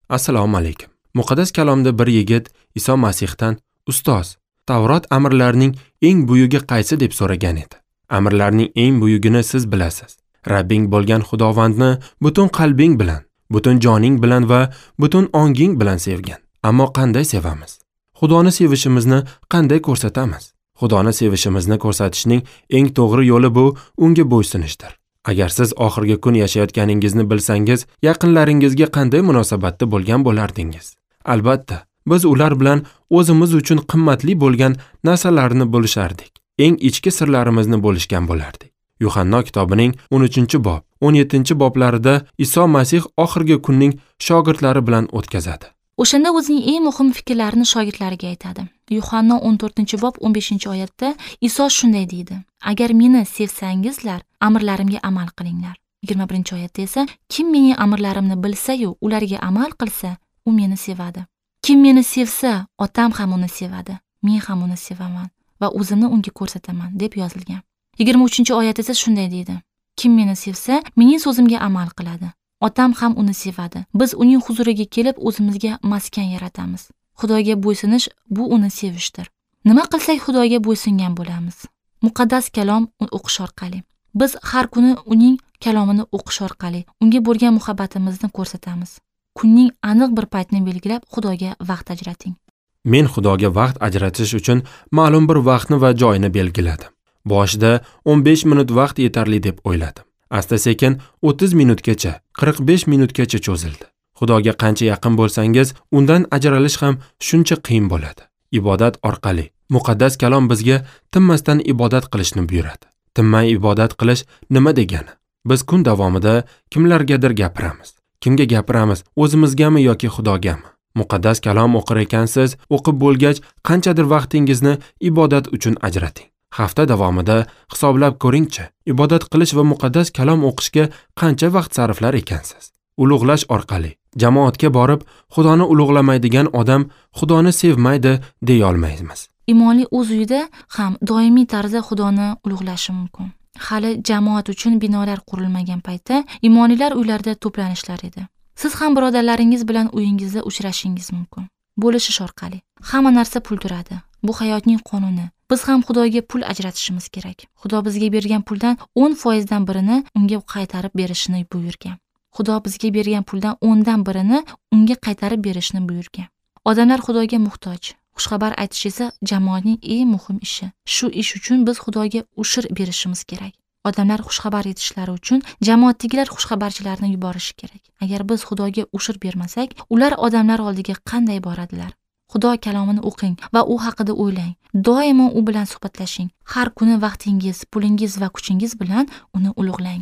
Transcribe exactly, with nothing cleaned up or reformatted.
Assalomu alaykum. Muqaddas kalomda bir yigit Iso Masihdan "Ustoz, Tavrot amrlarining eng buyugi qaysi?" deb so'ragan edi. Amrlarning eng buyugini siz bilasiz. Rabbing bo'lgan Xudovandni butun qalbing bilan, butun joning bilan va butun onging bilan sevgan. Ammo qanday sevamiz? Xudoni sevishimizni qanday ko'rsatamiz? Xudoni sevishimizni ko'rsatishning eng to'g'ri yo'li bu unga bo'ysunishdir. Agar siz oxirgi kun yashayotganingizni bilsangiz, yaqinlaringizga qanday munosabatda bo'lgan bo'lardingiz? Albatta, biz ular bilan o'zimiz uchun qimmatli bo'lgan narsalarni bo'lishardik. Eng ichki sirlarimizni bo'lishgan bo'lardik. Yuhanno kitobining o'n uchinchi bob, o'n yettinchi boblarida Iso Masih oxirgi kunning shogirdlari bilan o'tkazadi. O'shanda o'zining eng muhim fikrlarini shogirdlariga aytadi. Yuhanno o'n to'rtinchi bob o'n beshinchi oyatda Iso shunday deydi: "Agar meni sevsangizlar, amrlarimga amal qilinglar." Yigirma birinchi oyatda esa kim mening amrlarimni bilsa-yu, ularga amal qilsa, u meni sevadi. Kim meni sevsa, otam ham uni sevadi. Men ham uni sevaman va o'zimni unga ko'rsataman deb yozilgan. Yigirma uchinchi oyat esa shunday deydi: Kim meni sevsa, mening so'zimga amal qiladi. Otam ham uni sevadi. Biz uning huzuriga kelib o'zimizga maskan yaratamiz. Xudoga bo'ysunish bu uni sevishdir. Nima qilsak Xudoga bo'ysungan bo'lamiz? Muqaddas kalom o'qish orqali. Biz har kuni uning kalomini o'qish orqali unga bo'lgan muhabbatimizni ko'rsatamiz. Kunning aniq bir paytini belgilab Xudoga vaqt ajrating. Men Xudoga vaqt ajratish uchun ma'lum bir vaqtni va joyini belgiladim. Boshida o'n besh minut vaqt yetarli deb o'yladim. Asta-sekin o'ttiz minutgacha, qirq besh minutgacha cho'zildi. Xudoga qancha yaqin bo'lsangiz, undan ajralish ham shuncha qiyin bo'ladi. Ibodat orqali muqaddas kalom bizga tinmasdan ibodat qilishni buyuradi. Tinmay ibodat qilish nima degani? Biz kun davomida kimlargadir gapiramiz. Kimga gapiramiz? O'zimizgami yoki Xudogami? Muqaddas kalom o'qir ekansiz, o'qib bo'lgach qanchadir vaqtingizni ibodat uchun ajrating. Hafta davomida hisoblab ko'ringchi, ibodat qilish va muqaddas kalom o'qishga qancha vaqt sarflar ekansiz? Ulug'lash orqali jamoatga borib, Xudoni ulug'lamaydigan odam Xudoni sevmaydi deya olmaymiz. Imonli o'z uyida ham doimiy tarzda Xudoni ulug'lashi mumkin. Hali jamoat uchun binolar qurilmagan paytda imonlilar uylarda to'planishlar edi. Siz ham birodarlaringiz bilan uyingizda uchrashingiz mumkin. Bo'lishish orqali. Hamma narsa pul turadi. Bu hayotning qonuni. Biz ham Xudoga pul ajratishimiz kerak. Xudo bizga bergan puldan o'n foizdan birini unga qaytarib berishini buyurgan. Xudo bizga bergan puldan o'ndan birini unga qaytarib berishini buyurgan. Odamlar Xudoga muhtoj. Xushxabar aytish esa jamoatning eng muhim ishi. Shu ish uchun biz Xudoga ushur berishimiz kerak. Odamlar xushxabar etishlari uchun jamoatdagilar xushxabarchilarni yuborishi kerak. Agar biz Xudoga ushur bermasak, ular odamlar oldiga qanday boradilar? Xudo kalomini o'qing va u haqida o'ylang. Doimo u bilan suhbatlashing. Har kuni vaqtingiz, pulingiz va kuchingiz bilan uni ulug'lang.